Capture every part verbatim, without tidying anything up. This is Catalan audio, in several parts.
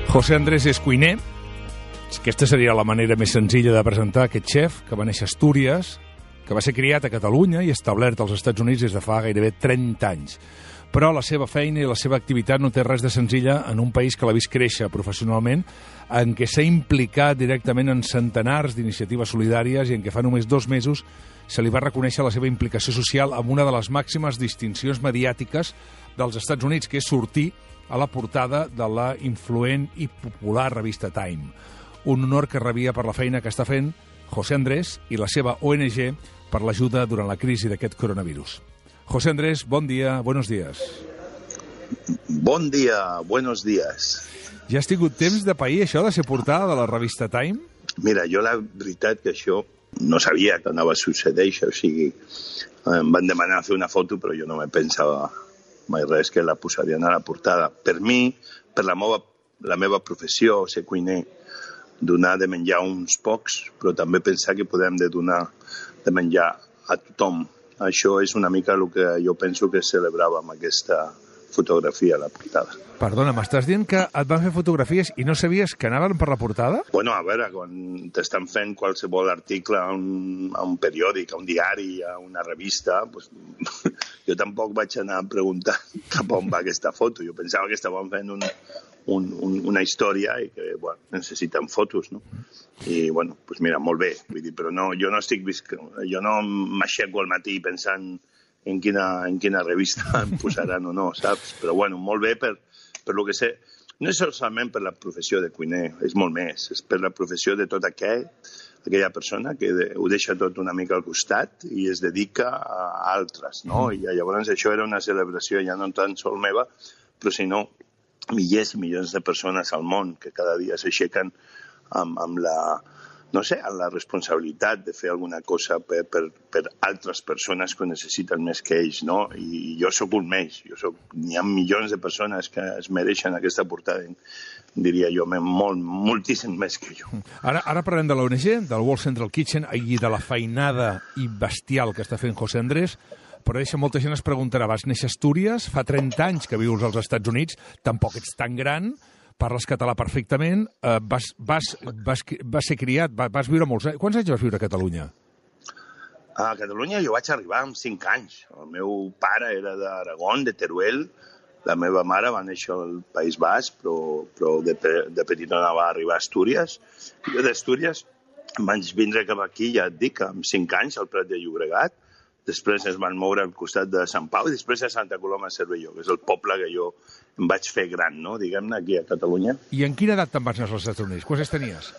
José Andrés és cuiner. Aquesta seria la manera més senzilla de presentar aquest xef, que va néixer a Astúries, que va ser criat a Catalunya i establert als Estats Units des de fa gairebé trenta anys. Però la seva feina i la seva activitat no té res de senzilla en un país que l'ha vist créixer professionalment, en què s'ha implicat directament en centenars d'iniciatives solidàries i en què fa només dos mesos se li va reconèixer la seva implicació social amb una de les màximes distincions mediàtiques dels Estats Units, que és sortir a la portada de la influent i popular revista Time. Un honor que rebia per la feina que està fent José Andrés i la seva O N G per l'ajuda durant la crisi d'aquest coronavirus. José Andrés, bon dia, buenos días. Bon dia, buenos días. Ja has tingut temps de pair això de ser portada de la revista Time? Mira, jo la veritat que això no sabia que anava a succeir, o sigui, em van demanar fer una foto, però jo no me pensava mai res que la posarien a la portada. Per mi, per la meva, la meva professió, ser cuiner, donar de menjar uns pocs, però també pensar que podem de donar de menjar a tothom. Això és una mica el que jo penso que celebrava amb aquesta fotografia a la portada. Perdona, m'estàs dient que et van fer fotografies i no sabies que anaven per la portada? Bueno, a veure, quan t'estan fent qualsevol article a un, a un periòdic, a un diari, a una revista, pues, jo tampoc vaig anar a preguntar cap on va aquesta foto. Jo pensava que estaven fent un, un, un, una història i que, bueno, necessiten fotos, no? I, bueno, pues mira, molt bé. Vull dir, però no, jo no estic visc... jo no m'aixeco al matí pensant en quina, en quina revista em posaran o no, saps? Però, bueno, molt bé per, per lo que sé. No és solament per la professió de cuiner, és molt més. És per la professió de tot aquell, aquella persona que de, ho deixa tot una mica al costat i es dedica a altres, no? I llavors això era una celebració ja no tan sol meva, però sinó milers i milions de persones al món que cada dia s'aixequen amb, amb la... no sé, amb la responsabilitat de fer alguna cosa per, per, per altres persones que ho necessiten més que ells, no? I jo sóc un més, jo soc, n'hi ha milions de persones que es mereixen aquesta portada, diria jo, molt, moltíssim més que jo. Ara, ara parlem de l'O N G, del World Central Kitchen, i de la feinada i bestial que està fent José Andrés, però deixa, molta gent es preguntarà, vas néixer a Astúries, fa trenta anys que vius als Estats Units, tampoc ets tan gran, parles català perfectament, eh, vas, vas, vas, vas ser criat, vas, vas viure molts anys. Quants anys vas viure a Catalunya? A Catalunya jo vaig arribar amb cinc anys. El meu pare era d'Aragón, de Teruel. La meva mare va néixer al País Basc, però, però de, de petita va arribar a Astúries. Jo d'Astúries vaig vindre cap aquí, ja et dic, amb cinc anys, al Prat de Llobregat. Després es van moure al costat de Sant Pau i després a Santa Coloma de Cervelló, que és el poble que jo em vaig fer gran, no? Diguem-ne, aquí a Catalunya. I en quina edat te'n vas anar als Estats Units? Quants anys tenies?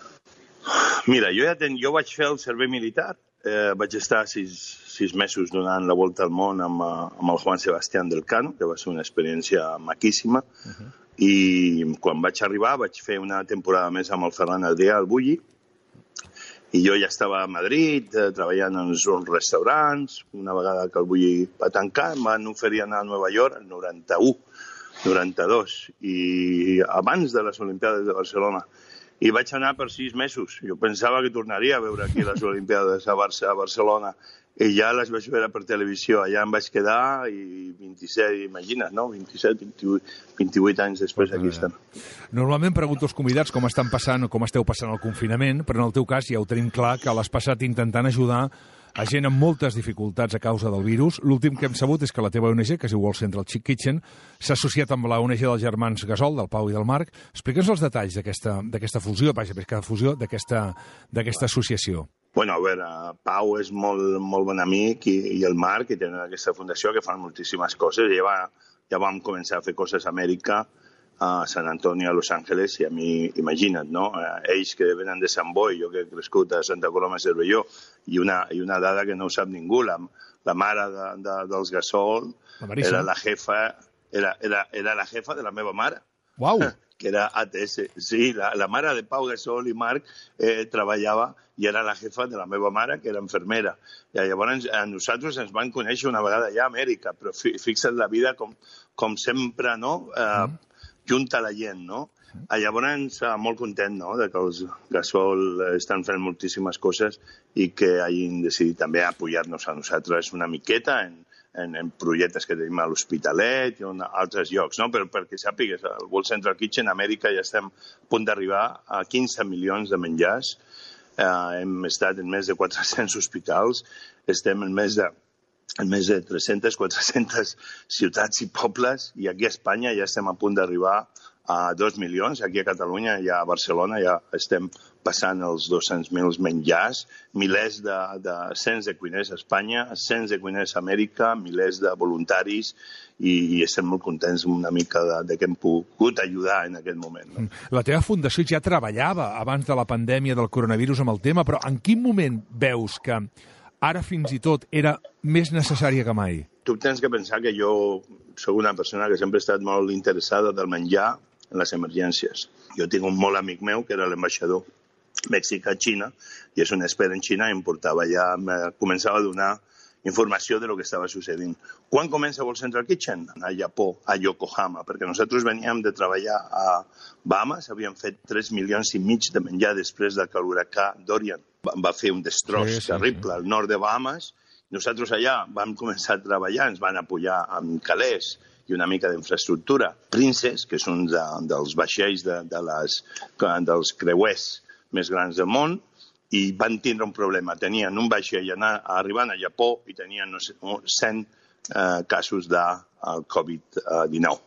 Mira, jo ja ten... jo vaig fer el servei militar. Eh, vaig estar sis, sis mesos donant la volta al món amb, amb el Juan Sebastián del Cano, que va ser una experiència maquíssima. Uh -huh. I quan vaig arribar vaig fer una temporada més amb el Ferran Adrià al Bulli. I jo ja estava a Madrid, eh, treballant en uns restaurants. Una vegada que el Bulli va tancar, em van oferir anar a Nova York el noranta-u, noranta-dos, i abans de les Olimpiades de Barcelona. I vaig anar per sis mesos. Jo pensava que tornaria a veure aquí les Olimpiades a, Barça, a Barcelona. I ja les vaig veure per televisió. Allà em vaig quedar i vint-i-set, imagina't, no? vint-i-set, vint-i-vuit, vint-i-vuit anys després aquí estem. Normalment pregunto als convidats com estan passant o com esteu passant el confinament, però en el teu cas ja ho tenim clar que l'has passat intentant ajudar a gent amb moltes dificultats a causa del virus. L'últim que hem sabut és que la teva O N G, que es diu World Central Kitchen, s'ha associat amb la O N G dels germans Gasol, del Pau i del Marc. Explica'ns els detalls d'aquesta fusió, vaja, aquesta fusió, d'aquesta associació. Bueno, a veure, Pau és molt, molt bon amic i, i el Marc, que tenen aquesta fundació, que fan moltíssimes coses. Ja, va, ja vam començar a fer coses a Amèrica, a San Antonio, a Los Ángeles, i a mi, imagina't, no? Ells que venen de Sant Boi, jo que he crescut a Santa Coloma de Cervelló, i una, i una dada que no ho sap ningú, la, la mare de, de, dels Gasol la era la jefa, era, era, era la jefa de la meva mare. Uau! Que era A T S. Sí, la, la mare de Pau Gasol i Marc eh, treballava i era la jefa de la meva mare, que era infermera. I llavors a nosaltres ens van conèixer una vegada ja a Amèrica, però fi, fixa't la vida com, com sempre, no? Eh, mm. Junta la gent, no? Llavors, molt content, no?, de que els Gasol estan fent moltíssimes coses i que hagin decidit també apoyar-nos a nosaltres una miqueta en, en, en projectes que tenim a l'Hospitalet i en altres llocs, no? Però perquè sàpigues, al World Central Kitchen a Amèrica ja estem a punt d'arribar a quinze milions de menjars. Eh, hem estat en més de quatre-cents hospitals, estem en més de, en més de tres-centes, quatre-centes ciutats i pobles, i aquí a Espanya ja estem a punt d'arribar a dos milions. Aquí a Catalunya, ja a Barcelona, ja estem passant els dos-cents mil menjars, milers de, de cents de cuiners a Espanya, cents de cuiners a Amèrica, milers de voluntaris, i, i estem molt contents una mica de, de que hem pogut ajudar en aquest moment. No? La teva fundació ja treballava abans de la pandèmia del coronavirus amb el tema, però en quin moment veus que ara fins i tot era més necessària que mai? Tu tens que pensar que jo soc una persona que sempre ha estat molt interessada del menjar en les emergències. Jo tinc un molt amic meu que era l'ambaixador mexicà-Xina i és un expert en Xina i em portava ja, començava a donar informació de lo que estava sucedint. Quan comença World Central Kitchen? A Japó, a Yokohama, perquè nosaltres veníem de treballar a Bahamas, havíem fet tres milions i mig de menjar després de que l'huracà Dorian va fer un destroç sí, sí, terrible sí. al nord de Bahamas. Nosaltres allà vam començar a treballar, ens van apoyar amb calés i una mica d'infraestructura. Princess, que és un de, dels vaixells de, de les, dels creuers més grans del món, i van tindre un problema. Tenien un vaixell anar, arribant a Japó i tenien no sé, cent eh, casos de covid dinou.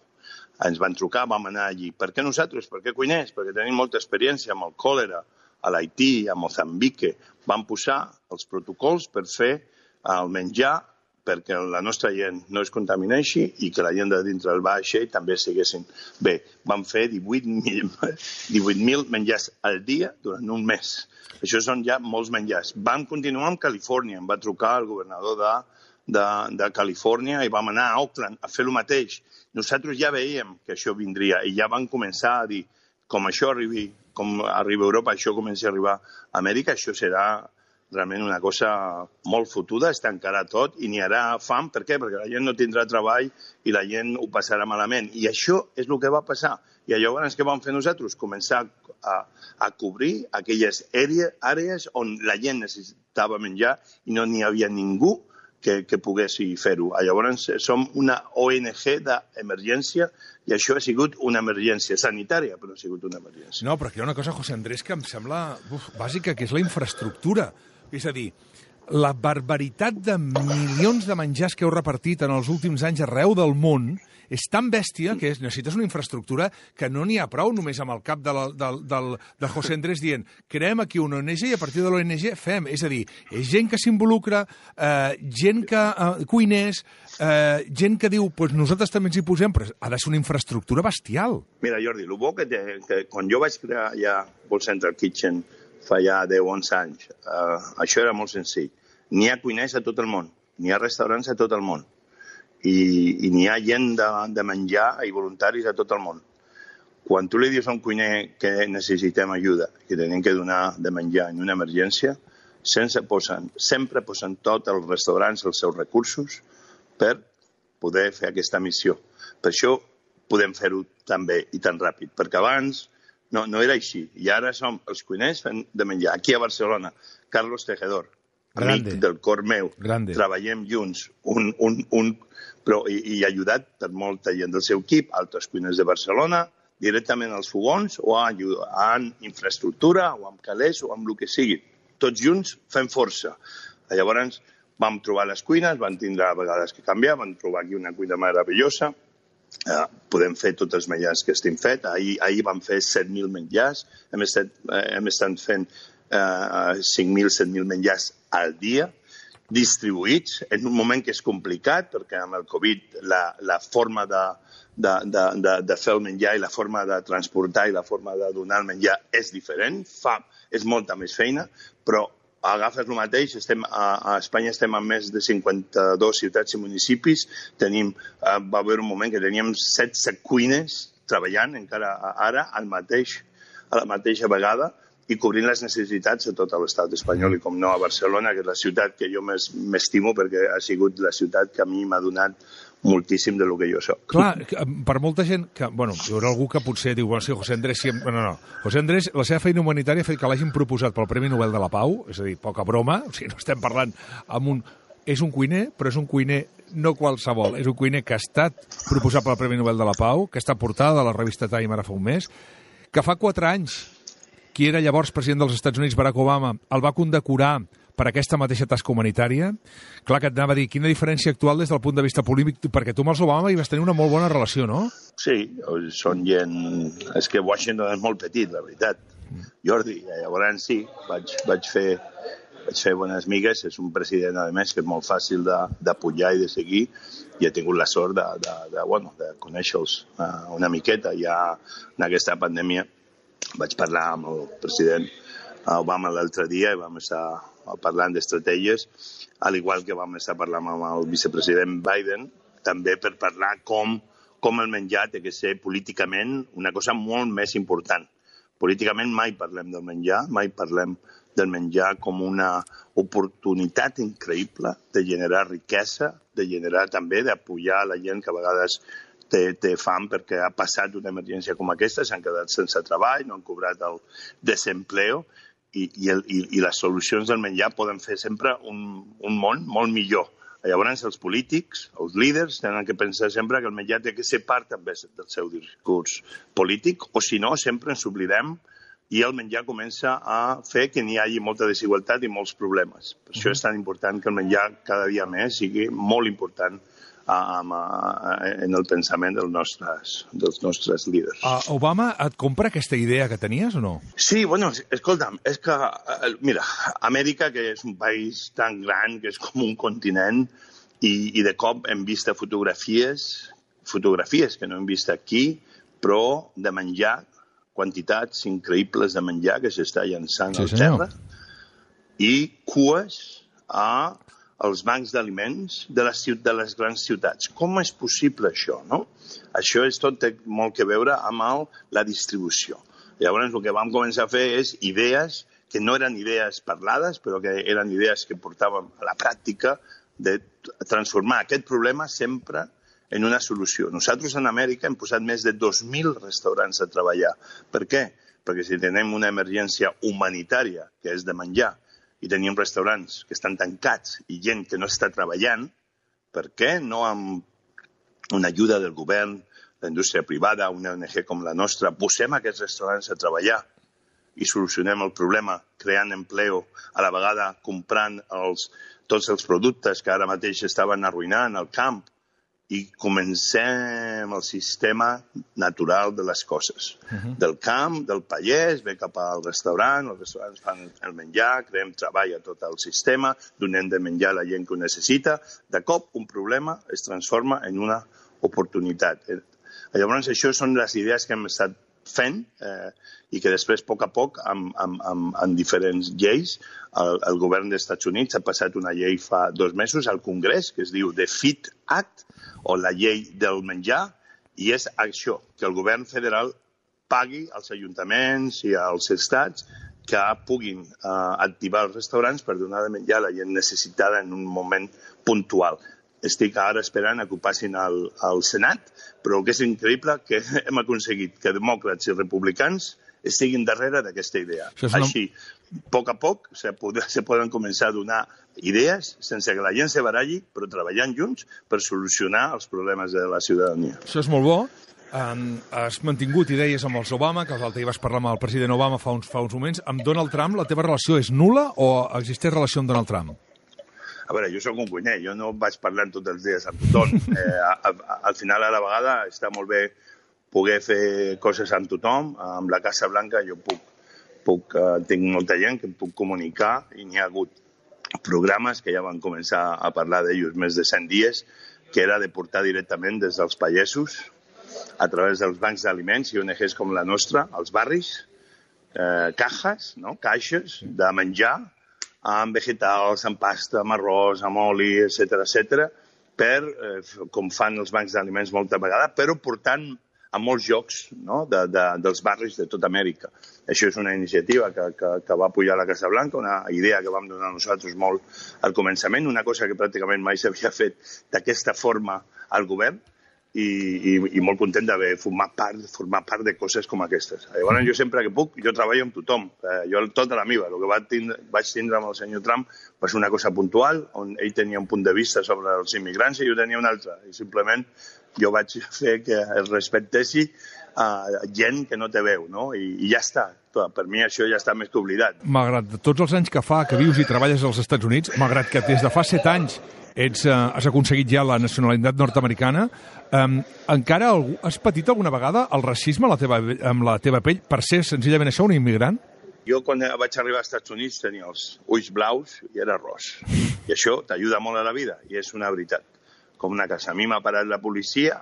Ens van trucar, vam anar allí. Per què nosaltres? Per què cuiners? Perquè tenim molta experiència amb el còlera a l'Haití, a Mozambique. Vam posar els protocols per fer el menjar perquè la nostra gent no es contamineixi i que la gent de dintre del vaixell també estiguessin bé. Vam fer divuit mil menjars al dia durant un mes. Això són ja molts menjars. Vam continuar amb Califòrnia. Em va trucar el governador de, de, de Califòrnia i vam anar a Oakland a fer el mateix. Nosaltres ja veiem que això vindria i ja vam començar a dir com això arribi, com arriba a Europa, això comença a arribar a Amèrica, això serà realment una cosa molt fotuda, es tancarà tot i n'hi haurà fam. Per què? Perquè la gent no tindrà treball i la gent ho passarà malament. I això és el que va passar. I llavors què vam fer nosaltres? Començar a, a cobrir aquelles àrees on la gent necessitava menjar i no n'hi havia ningú que, que pogués fer-ho. Llavors som una O N G d'emergència i això ha sigut una emergència sanitària, però ha sigut una emergència. No, però aquí hi ha una cosa, José Andrés, que em sembla uf, bàsica, que és la infraestructura. És a dir, la barbaritat de milions de menjars que heu repartit en els últims anys arreu del món és tan bèstia que és, necessites una infraestructura que no n'hi ha prou només amb el cap de, la, de, de, de José Andrés dient creem aquí una O N G i a partir de l'O N G fem. És a dir, és gent que s'involucra, eh, gent que eh, cuiners, eh, gent que diu pues nosaltres també ens hi posem, però ha de ser una infraestructura bestial. Mira, Jordi, el bo que, té, que quan jo vaig crear ja World Central Kitchen fa ja deu o onze anys. Uh, això era molt senzill. N'hi ha cuiners a tot el món, n'hi ha restaurants a tot el món, i, i n'hi ha gent de, de menjar i voluntaris a tot el món. Quan tu li dius a un cuiner que necessitem ajuda, que tenim que donar de menjar en una emergència, sense posen, sempre posen tots els restaurants els seus recursos per poder fer aquesta missió. Per això podem fer-ho tan bé i tan ràpid, perquè abans No, no era així. I ara som els cuiners fent de menjar. Aquí a Barcelona, Carlos Tejedor, amic Grande. del cor meu. Grande. Treballem junts, un, un, un, però, i, i ajudat per molta gent del seu equip, altres cuiners de Barcelona, directament als fogons, o en infraestructura, o amb calés, o amb el que sigui. Tots junts fem força. Llavors vam trobar les cuines, vam tindre a vegades que canviar, vam trobar aquí una cuina meravellosa. Uh, podem fer tots els menjars que estem fet. Ahir, ahir vam fer set mil menjars, hem estat, uh, hem estat fent uh, cinc mil, set mil menjars al dia, distribuïts en un moment que és complicat, perquè amb el Covid la, la forma de, de, de, de, de fer el menjar i la forma de transportar i la forma de donar el menjar és diferent, fa, és molta més feina, però agafes el mateix, estem a, a Espanya estem en més de cinquanta-dues ciutats i municipis, tenim, uh, va haver un moment que teníem setze cuines treballant encara ara al mateix, a la mateixa vegada i cobrint les necessitats de tot l'estat espanyol i com no a Barcelona, que és la ciutat que jo més m'estimo perquè ha sigut la ciutat que a mi m'ha donat moltíssim de lo que jo soc. Clar, per molta gent, que, bueno, hi haurà algú que potser diu, bueno, sí, José Andrés, sí, no, no, José Andrés, la seva feina humanitària ha fet que l'hagin proposat pel Premi Nobel de la Pau, és a dir, poca broma, o sigui, no estem parlant amb un és un cuiner, però és un cuiner no qualsevol. És un cuiner que ha estat proposat pel Premi Nobel de la Pau, que està portada a la revista Time ara fa un mes, que fa quatre anys qui era llavors president dels Estats Units, Barack Obama, el va condecorar per aquesta mateixa tasca humanitària. Clar que et anava a dir, quina diferència actual des del punt de vista polític, perquè tu amb els Obama hi vas tenir una molt bona relació, no? Sí, són gent... És que Washington és molt petit, la veritat. Jordi, llavors sí, vaig, vaig fer... Vaig fer bones migues, és un president, a més, que és molt fàcil d'apujar i de seguir, i he tingut la sort de, de, de, bueno, de conèixer-los uh, una miqueta. Ja en aquesta pandèmia vaig parlar amb el president Obama l'altre dia i vam estar parlant d'estratègies, al igual que vam estar parlant amb el vicepresident Biden, també per parlar com, com el menjar té que ser políticament una cosa molt més important. Políticament mai parlem del menjar, mai parlem del menjar com una oportunitat increïble de generar riquesa, de generar també, d'apoyar la gent que a vegades té, té fam perquè ha passat una emergència com aquesta, s'han quedat sense treball, no han cobrat el desempleo, i, i, el, i, i les solucions del menjar poden fer sempre un, un món molt millor. Llavors, els polítics, els líders, tenen que pensar sempre que el menjar té que ser part també del seu discurs polític, o si no, sempre ens oblidem i el menjar comença a fer que n'hi hagi molta desigualtat i molts problemes. Per això és tan important que el menjar cada dia més sigui molt important en el pensament dels nostres, dels nostres líders. Uh, Obama et compra aquesta idea que tenies o no? Sí, bueno, escolta'm, és que, mira, Amèrica, que és un país tan gran, que és com un continent, i, i de cop hem vist fotografies, fotografies que no hem vist aquí, però de menjar, quantitats increïbles de menjar que s'està llançant sí, al terra i cues a els bancs d'aliments de les, de les grans ciutats. Com és possible això, no? Això és tot té molt que veure amb el, la distribució. Llavors, el que vam començar a fer és idees que no eren idees parlades, però que eren idees que portàvem a la pràctica de transformar aquest problema sempre en una solució. Nosaltres en Amèrica hem posat més de dos mil restaurants a treballar. Per què? Perquè si tenim una emergència humanitària, que és de menjar, i tenim restaurants que estan tancats i gent que no està treballant, per què no amb una ajuda del govern, la indústria privada, una O N G com la nostra, posem aquests restaurants a treballar i solucionem el problema creant empleo, a la vegada comprant els, tots els productes que ara mateix estaven arruïnant al camp, i comencem el sistema natural de les coses. Uh-huh. Del camp, del pallès, ve cap al restaurant, els restaurants fan el menjar, creem treball a tot el sistema, donem de menjar a la gent que ho necessita. De cop, un problema es transforma en una oportunitat. Llavors, això són les idees que hem estat fent eh, i que després, a poc a poc, amb, amb, amb, amb diferents lleis, el, el govern dels Estats Units ha passat una llei fa dos mesos al Congrés, que es diu The FEED Act, o la llei del menjar, i és això, que el govern federal pagui als ajuntaments i als estats que puguin eh, activar els restaurants per donar de menjar a la gent necessitada en un moment puntual. Estic ara esperant que ho passin al, al Senat, però el que és increïble que hem aconseguit que demòcrates i republicans estiguin darrere d'aquesta idea. Una... Així, a poc a poc, se, pod se poden començar a donar idees sense que la gent se baralli, però treballant junts per solucionar els problemes de la ciutadania. Això és molt bo. Um, has mantingut idees amb els Obama, que l'altre dia vas parlar amb el president Obama fa uns, fa uns moments. Amb Donald Trump, la teva relació és nul·la o existeix relació amb Donald Trump? A veure, jo sóc un cuiner, jo no vaig parlant tots els dies amb tothom. Eh, a, a, al final, a la vegada, està molt bé poder fer coses amb tothom. Amb la Casa Blanca jo puc, puc uh, tinc molta gent que em puc comunicar i n'hi ha hagut programes que ja van començar a parlar d'ells més de cent dies, que era de portar directament des dels pagesos a través dels bancs d'aliments i O N Ges com la nostra, als barris, eh, cajas, no? caixes de menjar, amb vegetals, amb pasta, amb arròs, amb oli, etcètera, etcètera, per, eh, com fan els bancs d'aliments molta vegada, però portant a molts llocs, no? de, de, dels barris de tota Amèrica. Això és una iniciativa que, que, que va apujar la Casa Blanca, una idea que vam donar nosaltres molt al començament, una cosa que pràcticament mai s'havia fet d'aquesta forma al govern, i, i, i molt content d'haver format part, format part de coses com aquestes. Llavors, jo sempre que puc, jo treballo amb tothom. Eh, jo tota la meva. El que vaig tindre, vaig tindre amb el senyor Trump va ser una cosa puntual, on ell tenia un punt de vista sobre els immigrants i jo tenia un altre. I simplement jo vaig fer que es respectessi a gent que no té veu, no? I, i ja està. Per mi això ja està més que oblidat. Malgrat tots els anys que fa que vius i treballes als Estats Units, malgrat que des de fa set anys ets, eh, has aconseguit ja la nacionalitat nord-americana, eh, encara algú, has patit alguna vegada el racisme a la teva, amb la teva pell per ser senzillament això, un immigrant? Jo quan vaig arribar als Estats Units tenia els ulls blaus i era ros. I això t'ajuda molt a la vida, i és una veritat. Com una casa. A mi m'ha parat la policia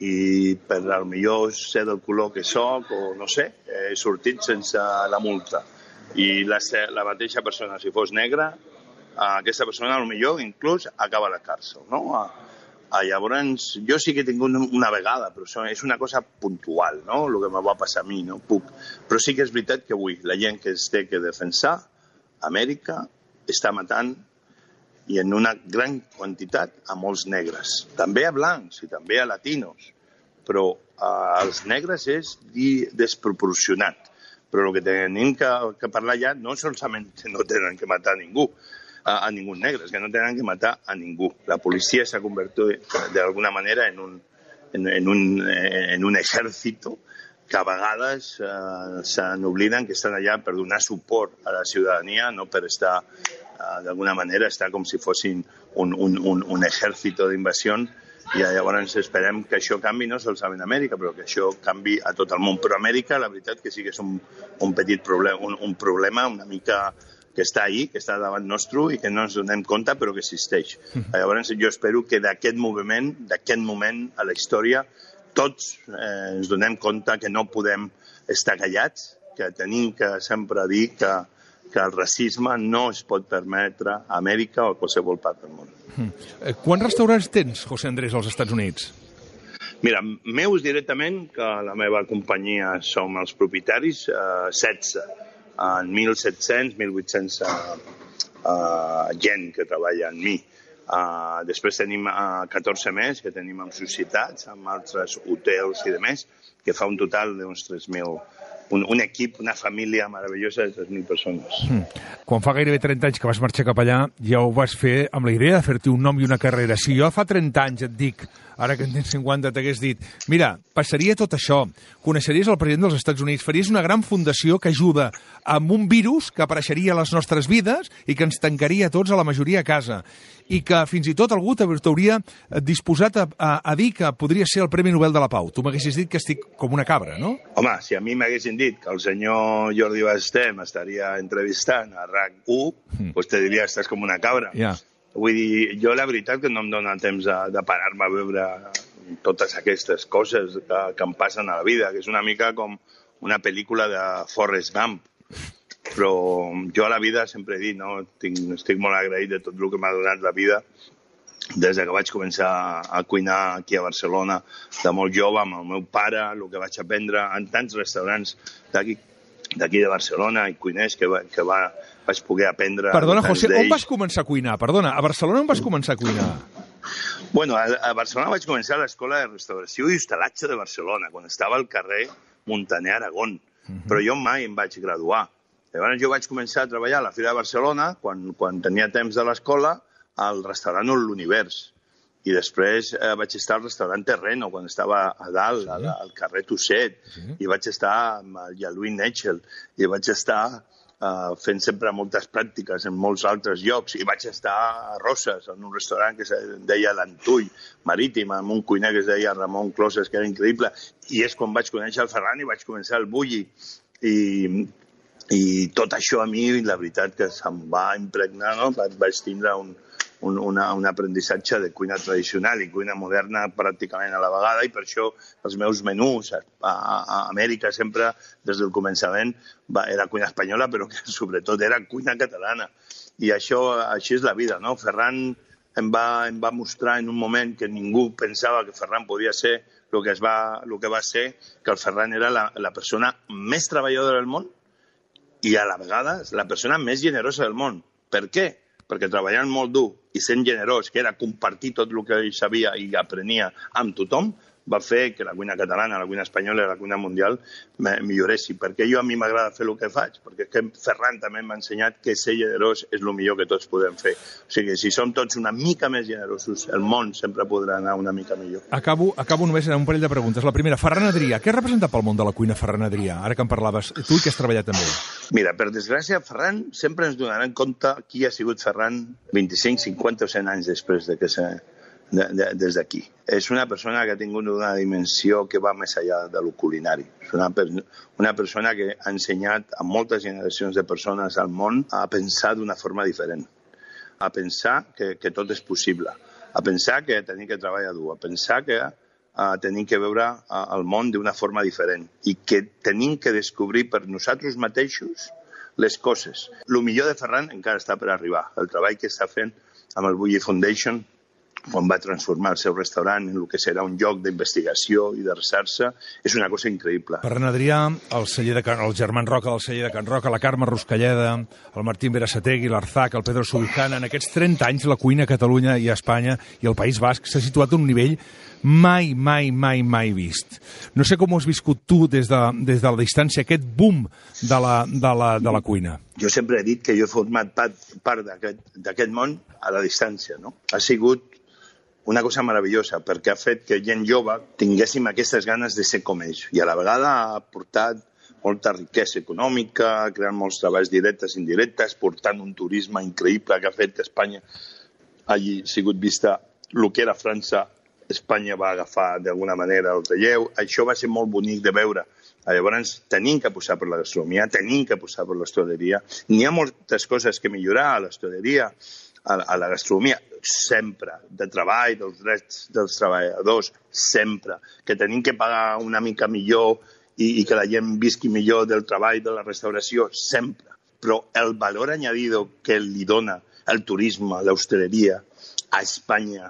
i per al millor ser del color que soc, o no sé, he sortit sense la multa. I la, la mateixa persona, si fos negra, aquesta persona, potser, inclús, acaba a la càrcel, no? A, a, llavors, jo sí que he tingut una vegada, però és una cosa puntual, no?, el que me va passar a mi, no puc. Però sí que és veritat que avui la gent que es té que defensar, Amèrica està matant, i en una gran quantitat, a molts negres. També a blancs i també a latinos, però als negres és desproporcionat. Però el que tenim que, que parlar ja no solament que no tenen que matar a ningú, a, a ningú negre, és que no tenen que matar a ningú. La policia s'ha convertit d'alguna manera en un, en, en un, en un ejército que a vegades eh, s'obliden que estan allà per donar suport a la ciutadania, no per estar, eh, d'alguna manera, estar com si fossin un, un, un, un ejército d'invasió. I llavors esperem que això canvi, no solament a Amèrica, però que això canvi a tot el món. Però a Amèrica, la veritat que sí que és un, un petit problema, un, un problema una mica que està ahí, que està davant nostre i que no ens donem compte, però que existeix. Llavors jo espero que d'aquest moviment, d'aquest moment a la història, tots eh, ens donem compte que no podem estar callats, que tenim que sempre dir que, que el racisme no es pot permetre a Amèrica o a qualsevol part del món. Mm. Quants restaurants tens, José Andrés, als Estats Units? Mira, meus directament, que la meva companyia som els propietaris, eh, setze. En mil set-cents, mil vuit-cents uh, uh, gent que treballa amb mi. Uh, després tenim uh, catorze més que tenim en societats, amb altres hotels i demés, que fa un total d'uns tres mil. Un, un equip, una família meravellosa de tres mil persones. Mm. Quan fa gairebé trenta anys que vas marxar cap allà, ja ho vas fer amb la idea de fer-te un nom i una carrera. Si jo fa trenta anys et dic, ara que en tens cinquanta, t'hagués dit, mira, passaria tot això, coneixeries el president dels Estats Units, faries una gran fundació que ajuda amb un virus que apareixeria a les nostres vides i que ens tancaria tots a la majoria a casa, i que fins i tot algú t'hauria disposat a, a, a dir que podria ser el Premi Nobel de la Pau. Tu m'haguessis dit que estic com una cabra, no? Home, si a mi m'haguessin dit que el senyor Jordi Basté m'estaria entrevistant a RAC u, mm. doncs te diria que estàs com una cabra. Ja. Yeah. Vull dir, jo la veritat que no em dóna temps de, de parar-me a veure totes aquestes coses que, que em passen a la vida, que és una mica com una pel·lícula de Forrest Gump. Però jo a la vida sempre he dit, no? Tinc, estic molt agraït de tot el que m'ha donat la vida des que vaig començar a cuinar aquí a Barcelona de molt jove amb el meu pare, el que vaig aprendre en tants restaurants d'aquí d'aquí de Barcelona i cuiners que, va, que va, vaig poder aprendre... Perdona, José, on vas començar a cuinar? Perdona, a Barcelona on vas començar a cuinar? Bueno, a, a Barcelona vaig començar a l'Escola de Restauració i Hostalatge de Barcelona, quan estava al carrer Montaner Aragón. Uh-huh. Però jo mai em vaig graduar. Llavors jo vaig començar a treballar a la Fira de Barcelona, quan, quan tenia temps de l'escola, al restaurant L'Univers. I després eh, vaig estar al restaurant Terreno, quan estava a dalt, sí. al, al carrer Tusset, sí. I vaig estar amb el Louis Netchel, i vaig estar eh, fent sempre moltes pràctiques en molts altres llocs, i vaig estar a Roses, en un restaurant que es deia l'Antull Marítim, amb un cuiner que es deia Ramon Closes, que era increïble, i és quan vaig conèixer el Ferran i vaig començar el Bulli, i, i tot això a mi, la veritat que se'm va impregnar, no? Vaig tindre un Un, una, un aprenentatge de cuina tradicional i cuina moderna pràcticament a la vegada, i per això els meus menús a, a, a Amèrica sempre, des del començament, va, era cuina espanyola, però que sobretot era cuina catalana. I això, així és la vida, no? Ferran em va, em va mostrar en un moment que ningú pensava que Ferran podia ser el que, es va, el que va ser, que el Ferran era la, la persona més treballadora del món i a la vegada la persona més generosa del món. Per què? perquè treballant molt dur i sent generós, que era compartir tot el que ell sabia i aprenia amb tothom, va fer que la cuina catalana, la cuina espanyola i la cuina mundial milloressin. Perquè jo a mi m'agrada fer el que faig, perquè que Ferran també m'ha ensenyat que ser generós és el millor que tots podem fer. O sigui, si som tots una mica més generosos, el món sempre podrà anar una mica millor. Acabo, acabo només amb un parell de preguntes. La primera, Ferran Adrià. Què representa pel món de la cuina Ferran Adrià? Ara que en parlaves, tu i que has treballat també. Mira, per desgràcia, Ferran sempre ens donaran compte qui ha sigut Ferran vint-i-cinc, cinquanta o cent anys després de que se... De, de, des d'aquí. És una persona que ha tingut una dimensió que va més enllà de lo culinari. És una, una persona que ha ensenyat a moltes generacions de persones al món a pensar d'una forma diferent, a pensar que, que tot és possible, a pensar que tenim que treballar dur, a pensar que uh, tenim que veure uh, el món d'una forma diferent i que tenim que descobrir per nosaltres mateixos les coses. El millor de Ferran encara està per arribar. El treball que està fent amb el Bulli Foundation, quan va transformar el seu restaurant en el que serà un lloc d'investigació i de recerca, és una cosa increïble. Ferran Adrià, el, celler de Can, el Germán Roca del celler de Can Roca, la Carme Ruscalleda, el Martín Berasategui, l'Arzac, el Pedro Subijana, en aquests trenta anys la cuina a Catalunya i a Espanya i al País Basc s'ha situat a un nivell mai, mai, mai, mai vist. No sé com ho has viscut tu des de, des de la distància, aquest boom de la, de la, de la cuina. Jo sempre he dit que jo he format part, part d'aquest món a la distància, no? Ha sigut una cosa meravellosa, perquè ha fet que gent jove tinguéssim aquestes ganes de ser com ells. I a la vegada ha portat molta riquesa econòmica, creant molts treballs directes i indirectes, portant un turisme increïble que ha fet que Espanya hagi sigut vista el que era França, Espanya va agafar d'alguna manera el relleu. Això va ser molt bonic de veure. Llavors, tenim que posar per la gastronomia, tenim que posar per l'hostaleria. N'hi ha moltes coses que millorar a l'hostaleria, a la gastronomia, sempre, de treball, dels drets dels treballadors, sempre, que tenim que pagar una mica millor i, i que la gent visqui millor del treball de la restauració, sempre. Però el valor añadido que li dona el turisme, l'hostaleria a Espanya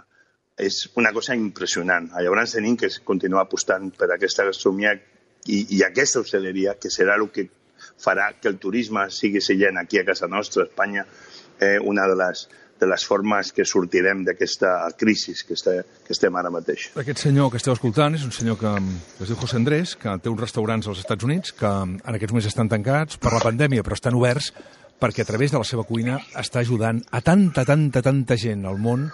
és una cosa impressionant. Llavors tenim que continuar apostant per aquesta gastronomia i, i aquesta hostaleria, que serà el que farà que el turisme sigui seient aquí a casa nostra, a Espanya, eh, una de les de les formes que sortirem d'aquesta crisi que, este, que estem ara mateix. Aquest senyor que esteu escoltant és un senyor que, que es diu José Andrés, que té uns restaurants als Estats Units que en aquests moments estan tancats per la pandèmia, però estan oberts perquè a través de la seva cuina està ajudant a tanta, tanta, tanta gent al món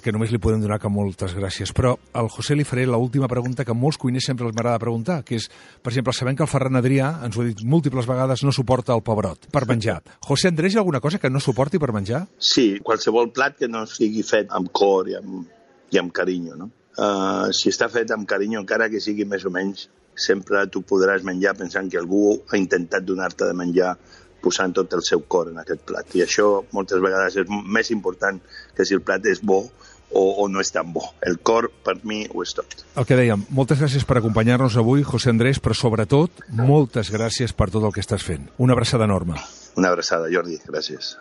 que només li podem donar que moltes gràcies. Però al José li faré l'última pregunta que molts cuiners sempre els m'agrada preguntar, que és, per exemple, sabem que el Ferran Adrià, ens ho ha dit múltiples vegades, no suporta el pebrot per menjar. José Andrés, hi ha alguna cosa que no suporti per menjar? Sí, qualsevol plat que no sigui fet amb cor i amb, i amb carinyo, no? Uh, si està fet amb carinyo, encara que sigui més o menys, sempre tu podràs menjar pensant que algú ha intentat donar-te de menjar posant tot el seu cor en aquest plat. I això moltes vegades és més important que si el plat és bo o, o no és tan bo. El cor, per mi, ho és tot. El que dèiem, moltes gràcies per acompanyar-nos avui, José Andrés, però sobretot, moltes gràcies per tot el que estàs fent. Una abraçada enorme. Una abraçada, Jordi. Gràcies.